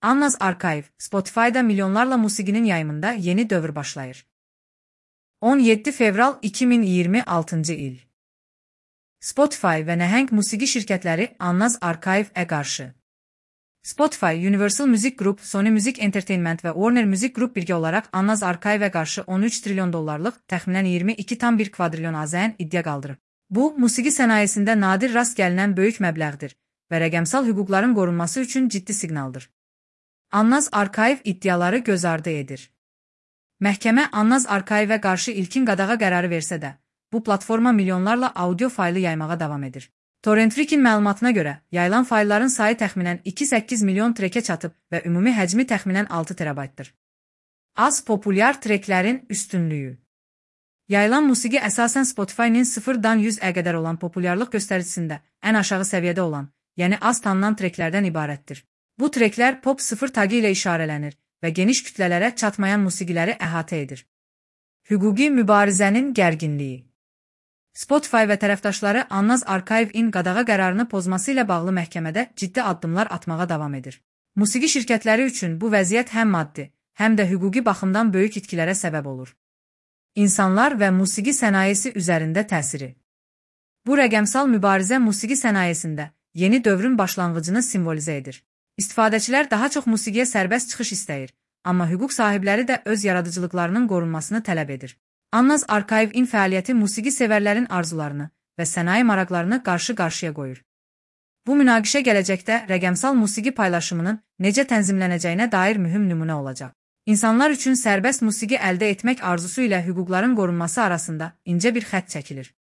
Annaz Archive, Spotify'da milyonlarla musiqinin yayımında yeni dövr başlayır. 17 fevral 2026 il. Spotify və nəhəng musiqi şirkətləri Annaz Archive-ə qarşı. Spotify, Universal Music Group, Sony Music Entertainment və Warner Music Group birgə olaraq Annaz Archive-ə qarşı 13 trilyon dollarlıq, təxminən 22,1 kvadrilyon AZN iddia qaldırıb. Bu, musiqi sənayesində nadir rast gəlinən böyük məbləğdir və rəqəmsal hüquqların qorunması üçün ciddi siqnaldır. Annaz Archive iddiaları göz ardı edir. Məhkəmə Annaz Archive-ə qarşı ilkin qadağa qərarı versə də, bu platforma milyonlarla audio faylı yaymağa davam edir. Torrent Freak-in məlumatına görə, yayılan faylların sayı təxminən 2,8 milyon trekə çatıb və ümumi həcmi təxminən 6 terabaytdır. Az populyar treklərin üstünlüyü. Yayılan musiqi əsasən Spotify-nin 0-dan 100-ə qədər olan populyarlıq göstəricisində ən aşağı səviyyədə olan, yəni az tanınan treklərdən ibarətdir. Bu treklər pop 0 tagı ilə işarələnir və geniş kütlələrə çatmayan musiqiləri əhatə edir. Hüquqi mübarizənin gərginliyi. Spotify və tərəfdaşları Annaz Archive-in qadağa qərarını pozması ilə bağlı məhkəmədə ciddi addımlar atmağa davam edir. Musiqi şirkətləri üçün bu vəziyyət həm maddi, həm də hüquqi baxımdan böyük itkilərə səbəb olur. İnsanlar və musiqi sənayesi üzərində təsiri. Bu rəqəmsal mübarizə musiqi sənayesində yeni dövrün başlanğıcını simvolizə edir. İstifadəçilər daha çox musiqiyə sərbəst çıxış istəyir, amma hüquq sahibləri də öz yaradıcılıqlarının qorunmasını tələb edir. Annaz Archive-in fəaliyyəti musiqi sevərlərin arzularını və sənaye maraqlarını qarşı-qarşıya qoyur. Bu münaqişə gələcəkdə rəqəmsal musiqi paylaşımının necə tənzimlənəcəyinə dair mühüm nümunə olacaq. İnsanlar üçün sərbəst musiqi əldə etmək arzusu ilə hüquqların qorunması arasında incə bir xətt çəkilir.